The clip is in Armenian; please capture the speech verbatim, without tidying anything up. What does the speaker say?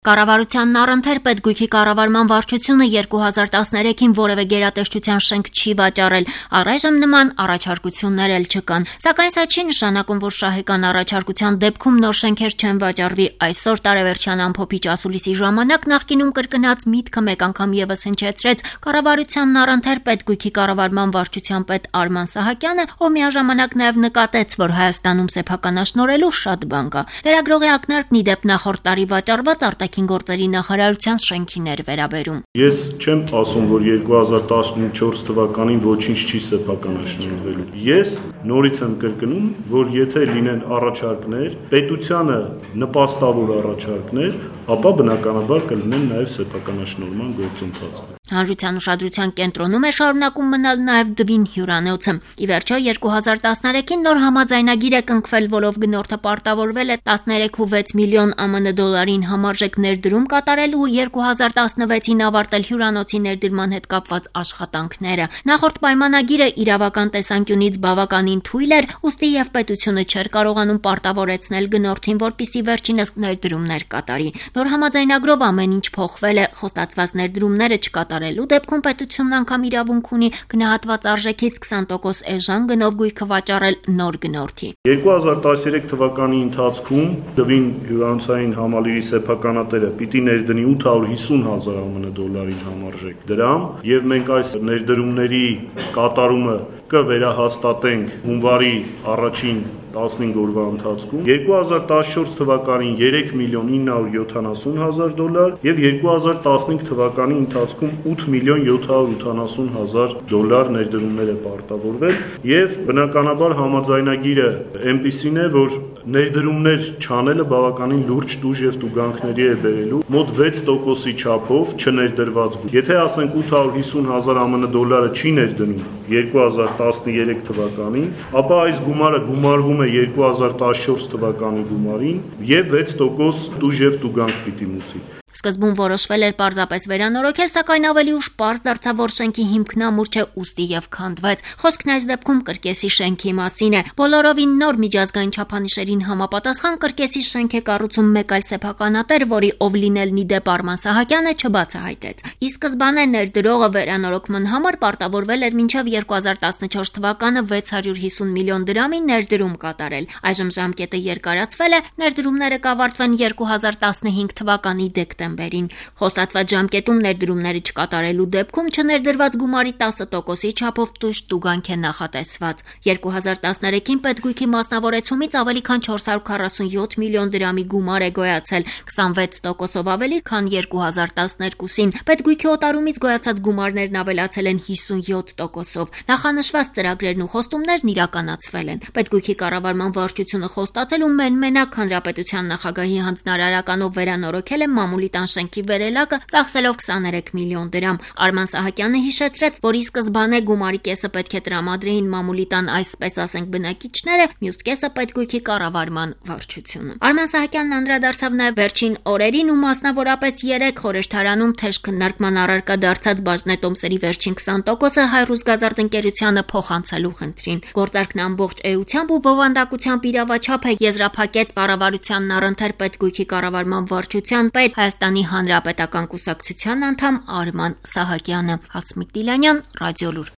Կառավարությանն առընթեր պետգույքի կառավարման վարչությունը երկու հազար տասներեքին որևէ գերատեսչության շենք չի վաճառել, առայժմ նման առաջարկություններ էլ չկան, սակայն սա չի նշանակում, որ շահեկան առաջարկության դեպքում նոր շենքեր չեն վաճառվի, այսօր տարեվերջյան ամփոփիչ ասուլիսի ժամանակ նախկինում կրկնած միտքը մեկ անգամ ևս հնչեցրեց կառավարությանն առընթեր պետգույքի կառավարման վարչության պետ Արման Սահակյանը, ով միաժամանակ նաև նկատեց, որ Հայաստանում սեփականաշնորհելու շատ բան կա, լրագրողի ակնարկն ի դեպ նախորդ տարի վաճառված արտաքին գործերի նախարարության շենքին էր վերաբերում։ Ես չեմ ասում, որ երկու հազար տասնչորս թվականին ոչինչ չի սեփականաշնորհվելու։ Ես նորից եմ կրկնում, որ եթե լինեն առաջարկներ, պետությանը նպաստավոր առաջարկներ, ապա բնականաբար կլինեն նաև սեփականաշնորհման գործընթացներ։ Հանրության ուշադրության կենտրոնում է շարունակում մնալ նաև Դվին հյուրանոցը։ Ի վերջո երկու հազար տասներեքին նոր համաձայնագիր է կնքվել, որով գնորդը պարտավորվել է տասներեք ու վեց միլիոն ԱՄՆ դոլարին համարժեք ներդրում կատարելու երկու հազար տասնվեցին ավարտել հյուրանոցի ներդրման հետ կապված աշխատանքները։ Նախորդ պայմանագիրը իրավական տեսանկյունից բավականին թույլ էր, ուստի եւ պետությունը չէր կարողանում պարտավորեցնել գնորդին, որպիսի վերջինս ներդրումներ կատարի։ Նոր համաձայնագրով ամեն ինչ փոխվել է, խոստացված ներդրումները չկատարելու դեպքում պետությունն անգամ իրավունք ունի գնահատված արժեքից քսան տոկոս էժան գնով գույքը վաճառել նոր գնորդի։ երկու հազար տասներեք թվականի ընթացքում Դվին հյուրանոցային համալիրի սեփականատերը պիտի ներդնի ութ հարյուր հիսուն հազար ԱՄՆ դոլարին համարժեք դրամ, եւ մենք այս ներդրումների կատարումը կվերահաստատենք հունվարի առաջին տասնհինգ օրվա ընթացքում, երկու հազար տասնչորս թվականին երեք միլիոն ինը հարյուր յոթանասուն հազար դոլար եւ երկու հազար տասնհինգ թվականի ընթացքում ութ միլիոն յոթ հարյուր ութանասուն հազար դոլար ներդրումներ է պարտավորվել եւ բնականաբար համաձայնագիրը այնպիսին է, որ ներդրումներ չանելը բավականին լուրջ տուժ եւ տուգանքների է բերելու մոտ վեց տոկոսի չափով չներդրված գույք։ Եթե ասենք ութ հարյուր հիսուն հազար ԱՄՆ դոլարը չի ներդնում երկու հազար տասներեք թվականին, ապա այս գումարը գումարվում է երկու հազար տասնչորս թվականի գումարին եւ վեց տոկոս տուժ եւ տուգանք պիտի մուծի։ Սկզբում որոշվել էր պարզապես վերանորոգել, սակայն ավելի ուշ պարզ դարձավ, որ շենքի հիմքն ամուր չէ, ուստի եւ քանդվեց։ Խոսքն այս դեպքում կրկեսի շենքի մասին է։ Բոլորովին նոր միջազգային չափանիշերին համապատասխան կրկեսի շենք է կառուցում մեկ այլ սեփականատեր, որի ով լինելն ի դեպ Արման Սահակյանը չբացահայտեց։ Ի սկզբանե ներդրողը վերանորոգման համար պարտավորվել էր մինչև երկու հազար տասնչորս թվականը վեց հարյուր հիսուն միլիոն դրամի ներդրում կատարել։ Այժմ ժամկետը երկարացվել է, ներդրումները կավարտվեն երկու հազար տասնհինգ թվականի դեկտեմբերին։ Խոստացված ժամկետում ներդրումները չկատարելու դեպքում չներդրված գումարի տասը տոկոսի չափով տուժ տուգանք է նախատեսված։ երկու հազար տասներեքին պետգույքի մասնավորեցումից ավելի քան չորս հարյուր քառասունյոթ միլիոն դրամի գումար է գոյացել, քսանվեց տոկոսով ավելի, քան երկու հազար տասներկուսին։ Պետգույքի օտարումից գոյացած գումարներն ավելացել են հիսունյոթ տոկոսով։ Նախանշված ծրագրերն ու խոստումներն իրականացվել են։ Պետգույքի կառավարման վարչությունը խոստացել ու մեն-մենակ հանրապետության նախագահի հանձնարարականով վերանորոգել է մամուլի տան շենքի վերելակը, ծախսելով քսաներեք միլիոն դրամ։ Արման Սահակյանը հիշեցրեց, որ ի սկզբանե գումարի կեսը պետք է տրամադրեին մամուլի տան այսպես ասենք բնակիչները, մյուս կեսը պետգույքի կառավարման վարչությունը։ Արման Սահակյանն անդրադարձավ նաև վերջին օրերին ու մասնավորապես երեք խորհրդարանում թեժ քննարկման առարկա դարձած բաժնետոմսերի վերջին քսան տոկոսը Հայրուսգազարդ ընկերությանը փոխանցելու խնդրին։ Գործարքն ամբողջ էությամբ ու բովանդակությամբ իրավաչափ է եզրափակեց կառավարությանն առընթեր պետգույքի կառավարման վարչության պետ Հայաստանի Հանրապետական կուսակցության անդամ Արման Սահակյանը։ Հասմիկ Դիլանյան, Ռադիոլուր։